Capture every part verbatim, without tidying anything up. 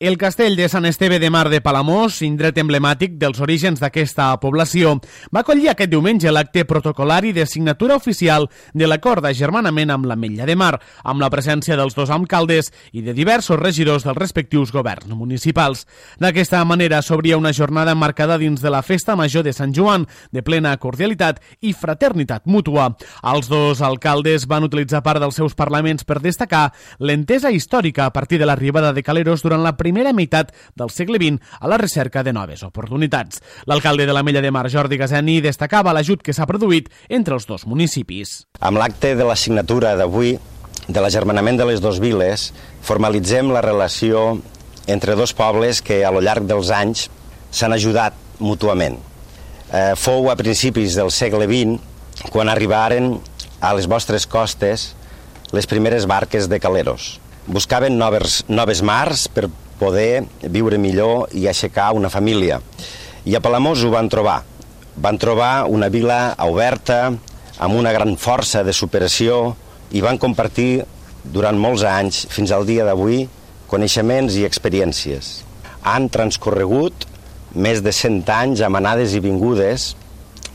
El castell de Sant Esteve de Mar de Palamós, indret emblemàtic dels orígens d'aquesta població, va acollir aquest diumenge l'acte protocolari de signatura oficial de l'acord d'agermanament amb l'Ametlla de Mar, amb la presència dels dos alcaldes i de diversos regidors dels respectius governs municipals. D'aquesta manera s'obria una jornada marcada dins de la Festa Major de Sant Joan, de plena cordialitat i fraternitat mútua. Els dos alcaldes van utilitzar part dels seus parlaments per destacar l'entesa històrica a partir de l'arribada de caleros durant la primera meitat del segle vint a la recerca de noves oportunitats. L'alcalde de l'Ametlla de Mar, Jordi Gaseni, destacava l'ajut que s'ha produït entre els dos municipis. Amb l'acte de la signatura d'avui de l'agermanament de les dues viles, formalitzem la relació entre dos pobles que a lo llarg dels anys s'han ajudat mútuament. Eh, fou a principis del segle vint quan arribaren a les vostres costes les primeres barques de caleros. Buscaven noves, noves mars per poder viure millor i aixecar una família. I a Palamós ho van trobar. Van trobar una vila oberta, amb una gran força de superació, i van compartir durant molts anys, fins al dia d'avui, coneixements i experiències. Han transcorregut més de cent anys amb anades i vingudes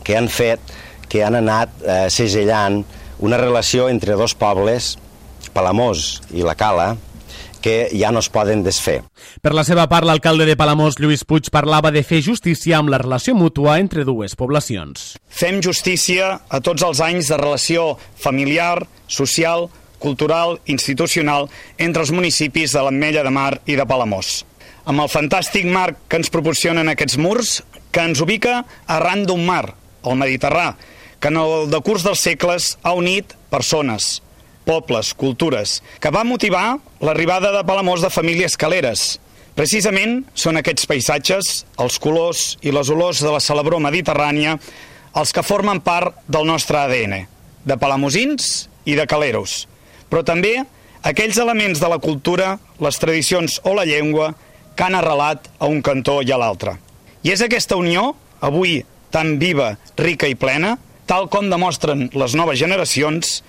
que han fet, que han anat eh, segellant una relació entre dos pobles, Palamós i la Cala, que ja no es poden desfer. Per la seva part, l'alcalde de Palamós, Lluís Puig, parlava de fer justícia amb la relació mútua entre dues poblacions. Fem justícia a tots els anys de relació familiar, social, cultural, institucional entre els municipis de l'Ametlla de Mar i de Palamós. Amb el fantàstic marc que ens proporcionen aquests murs, que ens ubica arran d'un mar, el Mediterrani, que en el decurs dels segles ha unit persones, pobles, cultures, que va motivar l'arribada de Palamós de famílies caleres. Precisament són aquests paisatges, els colors i les olors de la celebror mediterrània, els que formen part del nostre A D N, de palamosins i de caleros, però també aquells elements de la cultura, les tradicions o la llengua que han arrelat a un cantó i a l'altre. I és aquesta unió, avui tan viva, rica i plena, tal com demostren les noves generacions,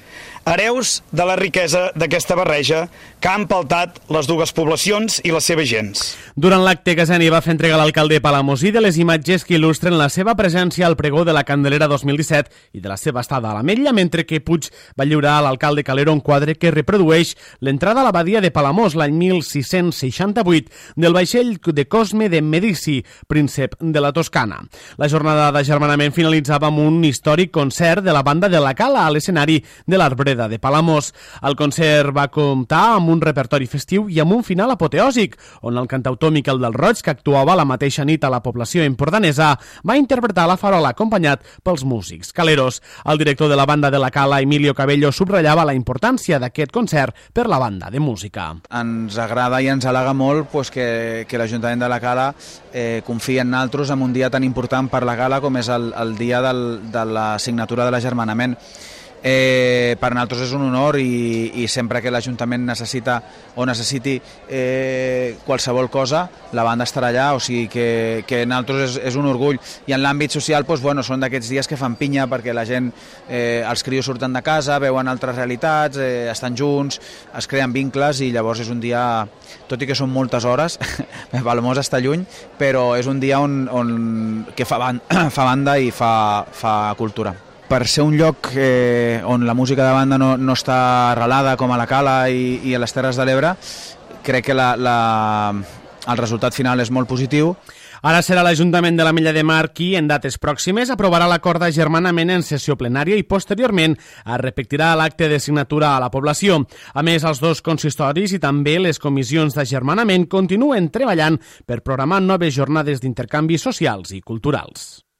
hereus de la riquesa d'aquesta barreja que ha empaltat les dues poblacions i les seves gens. Durant l'acte, Gaseni va fer entrega a l'alcalde palamosí de les imatges que il·lustren la seva presència al pregó de la Candelera dos mil disset i de la seva estada a l'Ametlla, mentre que Puig va lliurar a l'alcalde Calero un quadre que reprodueix l'entrada a l'abadia de Palamós l'any mil sis-cents seixanta-vuit del vaixell de Cosme de Medici, príncep de la Toscana. La jornada d'agermanament finalitzava amb un històric concert de la banda de la Cala a l'escenari de l'Arbreda de Palamós. El concert va comptar amb un repertori festiu i amb un final apoteòsic, on el cantautor Miquel del Roig, que actuava la mateixa nit a la població empordanesa, va interpretar la farola acompanyat pels músics caleros. El director de la banda de la Cala, Emilio Cabello, subratllava la importància d'aquest concert per la banda de música. Ens agrada i ens halaga molt pues, que, que l'Ajuntament de la Cala eh, confia en nosaltres en un dia tan important per la Cala com és el, el dia del, de la signatura de l'agermanament. Eh, per nosaltres és un honor i, i sempre que l'Ajuntament necessita o necessiti eh, qualsevol cosa, la banda estarà allà, o sigui que, que nosaltres és, és un orgull. I en l'àmbit social doncs, bueno, són d'aquests dies que fan pinya perquè la gent, eh, els crios surten de casa, veuen altres realitats, eh, estan junts, es creen vincles i llavors és un dia, tot i que són moltes hores, Palamós està lluny, però és un dia on, on, que fa, banda, fa banda i fa, fa cultura. Per ser un lloc eh, on la música de banda no, no està arrelada com a la Cala i, i a les Terres de l'Ebre, crec que la, la, el resultat final és molt positiu. Ara serà l'Ajuntament de l'Ametlla de Mar qui, en dates pròximes, aprovarà l'acord d'agermanament en sessió plenària i posteriorment es repetirà l'acte de signatura a la població. A més, els dos consistoris i també les comissions d'agermanament continuen treballant per programar noves jornades d'intercanvis socials i culturals.